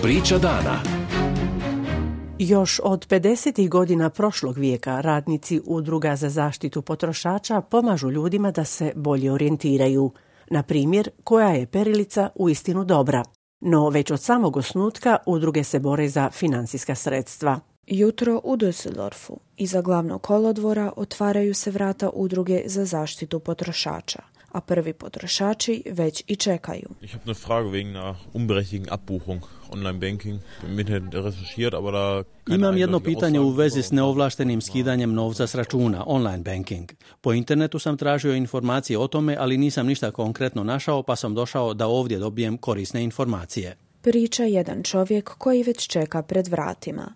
Priča dana. Još od 50. godina prošlog vijeka radnici udruga za zaštitu potrošača pomažu ljudima da se bolje orijentiraju. Na primjer, koja je perilica uistinu dobra. No već od samog osnutka udruge se bore za financijska sredstva. Jutro u Düsseldorfu. Iza glavnog kolodvora otvaraju se vrata udruge za zaštitu potrošača, a prvi potrošači već i čekaju. Ich habe eine Frage wegen einer unberechtigten Abbuchung, Online-Banking. Im Internet recherchiert, aber da Imam jedno pitanje u vezi s neovlaštenim skidanjem novca s računa, online banking. Po internetu sam tražio informacije o tome, ali nisam ništa konkretno našao, pa sam došao da ovdje dobijem korisne informacije. Priča jedan čovjek koji već čeka pred vratima.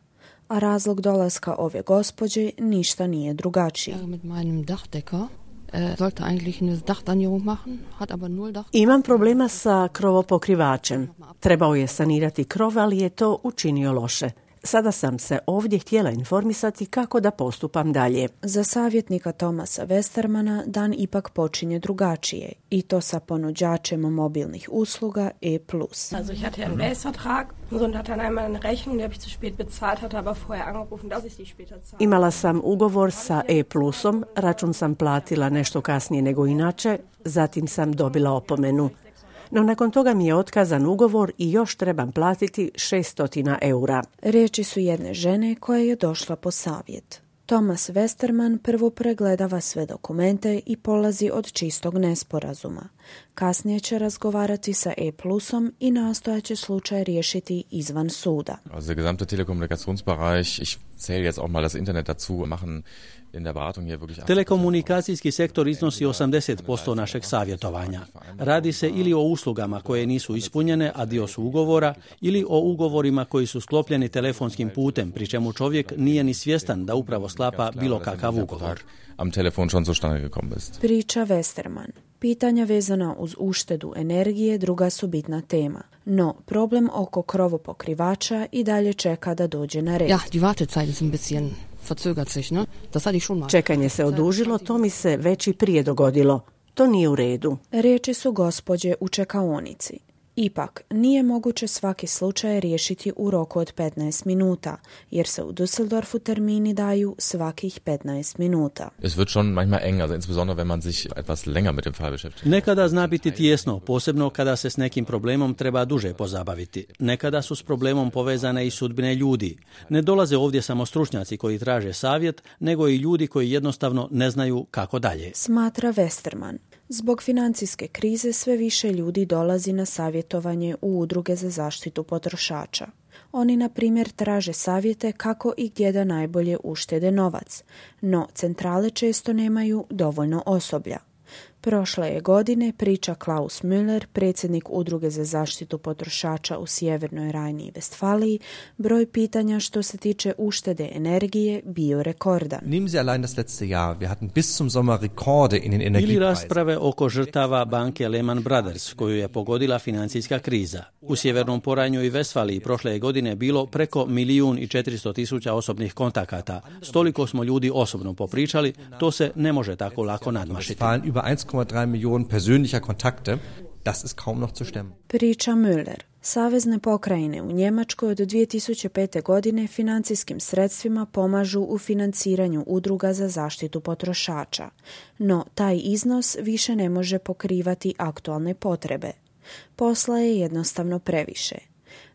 A razlog dolaska ove gospođe ništa nije drugačiji. Imam problema sa krovopokrivačem. Trebao je sanirati krov, ali je to učinio loše. Sada sam se ovdje htjela informisati kako da postupam dalje. Za savjetnika Thomasa Westermana dan ipak počinje drugačije, i to sa ponuđačem mobilnih usluga E+. Also ich hatte einen Base-Vertrag und hatte dann einmal eine Rechnung, die habe ich zu spät bezahlt, hatte aber vorher angerufen, dass ich die später zahle. Imala sam ugovor sa E+om, račun sam platila nešto kasnije nego inače, zatim sam dobila opomenu. No nakon toga mi je otkazan ugovor i još trebam platiti 600 eura. Riječi su jedne žene koja je došla po savjet. Thomas Westerman prvo pregledava sve dokumente i polazi od čistog nesporazuma. Kasnije će razgovarati sa E+om i nastojaće slučaj riješiti izvan suda. Also der gesamte Telekommunikationsbereich, ich zähle jetzt auch mal das Internet dazu, machen in der Beratung hier wirklich... Telekomunikacijski sektor iznosi 80% našeg savjetovanja. Radi se ili o uslugama koje nisu ispunjene, a dio su ugovora, ili o ugovorima koji su sklopljeni telefonskim putem, pri čemu čovjek nije ni svjestan da upravo sklapa bilo kakav ugovor. Am Telefon schon zustande gekommen ist. Priča Westerman. Pitanja vezana uz uštedu energije druga su bitna tema. No, problem oko krovopokrivača i dalje čeka da dođe na red. Ja, die Wartezeit ist ein bisschen verzögert sich, ne? Das hatte ich schon mal. Čekanje se odužilo, to mi se već i prije dogodilo. To nije u redu. Riječi su gospođe u čekaonici. Ipak, nije moguće svaki slučaj riješiti u roku od 15 minuta, jer se u Düsseldorfu termini daju svakih 15 minuta. Es wird schon manchmal eng, also insbesondere wenn man sich etwas länger mit dem Fall beschäftigt. Nekada zna biti tijesno, posebno kada se s nekim problemom treba duže pozabaviti. Nekada su s problemom povezane i sudbine ljudi. Ne dolaze ovdje samo stručnjaci koji traže savjet, nego i ljudi koji jednostavno ne znaju kako dalje. Smatra Westerman. Zbog financijske krize sve više ljudi dolazi na savjetovanje u udruge za zaštitu potrošača. Oni, na primjer, traže savjete kako i gdje da najbolje uštede novac, no centrale često nemaju dovoljno osoblja. Prošle je godine, priča Klaus Müller, predsjednik udruge za zaštitu potrošača u Sjevernoj Rajni i Vestfaliji, broj pitanja što se tiče uštede energije bio rekordan. Nehmen Sie allein das letzte Jahr, wir hatten bis zum Sommer Rekorde in den Energiepreisen. Ili rasprave oko žrtava banke Lehman Brothers, koju je pogodila financijska kriza. U Sjevernom Porajnju i Vestfaliji prošle je godine bilo preko 1.400.000 osobnih kontakata. Stoliko smo ljudi osobno popričali, to se ne može tako lako nadmašiti. Über 1,3 Millionen persönlicher Kontakte, das ist kaum noch zu stemmen. Priča Müller. Savezne pokrajine u Njemačkoj od 2005. godine financijskim sredstvima pomažu u financiranju udruga za zaštitu potrošača. No, taj iznos više ne može pokrivati aktualne potrebe. Posla je jednostavno previše.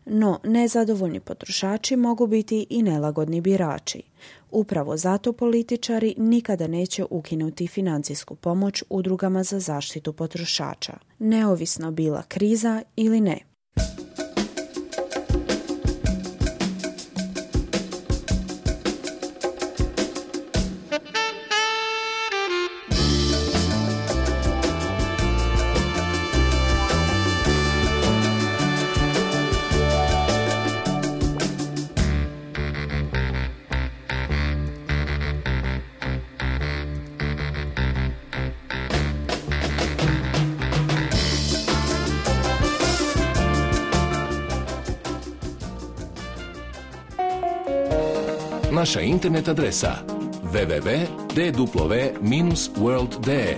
No, nezadovoljni potrošači mogu biti i nelagodni birači. Upravo zato političari nikada neće ukinuti financijsku pomoć udrugama za zaštitu potrošača, neovisno bila kriza ili ne. Naša internet adresa www.dw-world.de